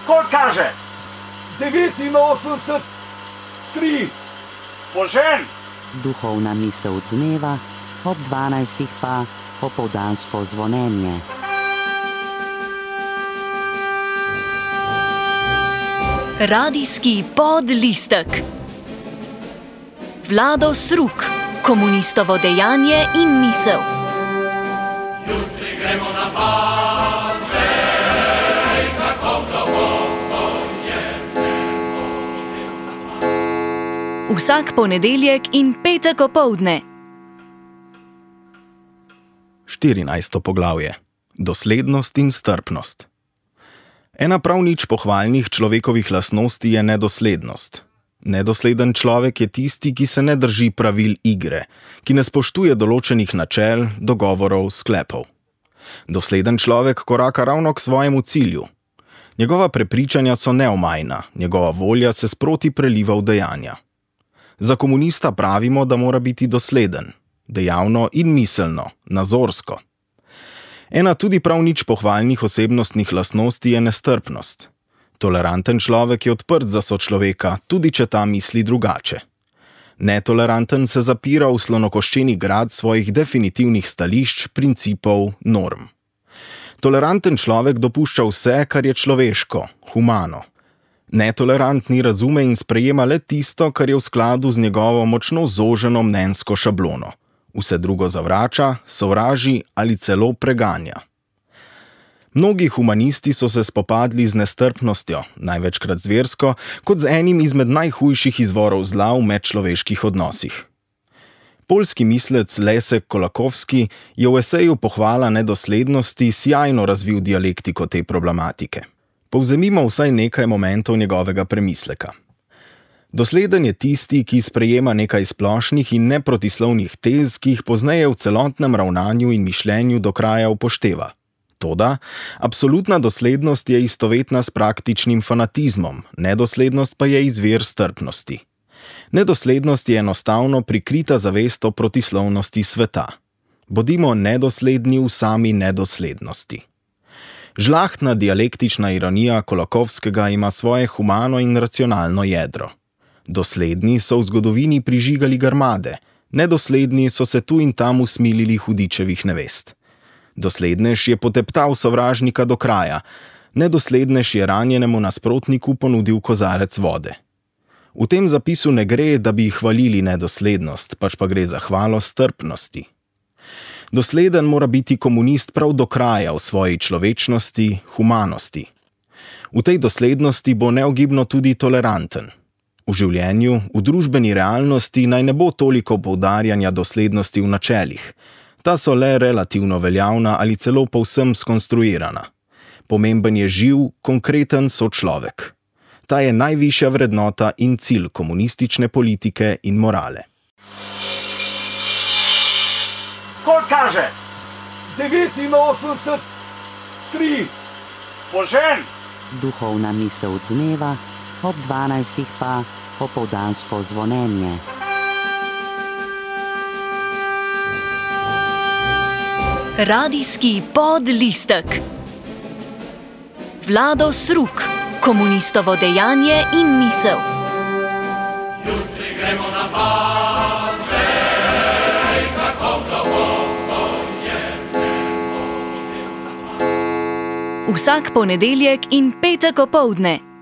Koliko kaže? 89, 3. Požen! Duhovna misel dneva, ob 12. pa popoldansko zvonjenje. Radijski podlistek. Vlado Sruk, komunistovo dejanje in misel. Jutri gremo na Padvej, kako globoko je nebo. Vsak ponedeljek in petek opoldne. 14. poglavje. Doslednost in strpnost. Ena prav nič pohvalnih človekovih lastnosti je nedoslednost. Nedosleden človek je tisti, ki se ne drži pravil igre, ki ne spoštuje določenih načel, dogovorov, sklepov. Dosleden človek koraka ravno k svojemu cilju. Njegova prepričanja so neomajna, njegova volja se sproti preliva v dejanja. Za komunista pravimo, da mora biti dosleden, dejavno in miselno, nazorsko. Ena tudi prav nič pohvalnih osebnostnih lastnosti je nestrpnost. Toleranten človek je odprt za sočloveka, tudi če ta misli drugače. Netoleranten se zapira v slonokoščeni grad svojih definitivnih stališč, principov, norm. Toleranten človek dopušča vse, kar je človeško, humano. Netolerantni razume in sprejema le tisto, kar je v skladu z njegovo močno zoženo mnenjsko šablono. Vse drugo zavrača, sovraži ali celo preganja. Mnogi humanisti so se spopadli z nestrpnostjo, največkrat zversko, kot z enim izmed najhujših izvorov zla v medčloveških odnosih. Poljski mislec Lesek Kolakowski je v eseju Pohvala nedoslednosti sjajno razvil dialektiko te problematike. Povzemimo vsaj nekaj momentov njegovega premisleka. Dosleden je tisti, ki sprejema nekaj splošnih in neprotislovnih tez, ki jih pozneje v celotnem ravnanju in mišljenju do kraja upošteva. Toda, absolutna doslednost je istovetna s praktičnim fanatizmom, nedoslednost pa je izvir strpnosti. Nedoslednost je enostavno prikrita zavest o protislovnosti sveta. Bodimo nedosledni v sami nedoslednosti. Žlahtna dialektična ironija Kolakowskega ima svoje humano in racionalno jedro. Dosledni so v zgodovini prižigali grmade, nedosledni so se tu in tam usmilili hudičevih nevest. Doslednež je poteptal sovražnika do kraja, nedoslednež je ranjenemu nasprotniku ponudil kozarec vode. V tem zapisu ne gre, da bi hvalili nedoslednost, pač pa gre za hvalo strpnosti. Dosleden mora biti komunist prav do kraja v svoji človečnosti, humanosti. V tej doslednosti bo neogibno tudi toleranten. V življenju, v družbeni realnosti naj ne bo toliko poudarjanja doslednosti v načelih. Ta so le relativno veljavna ali celo povsem skonstruirana. Pomemben je živ, konkreten sočlovek. Ta je najvišja vrednota in cilj komunistične politike in morale. Koliko kaže? 89, 3. Požen! Duhovna misel dneva, ob 12. pa popoldansko zvonjenje. Radijski podlistek. Vlado Sruk, komunistovo dejanje in misel. Jutri gremo na Padvej, kako globoko je nebo. Vsak ponedeljek in petek opoldne.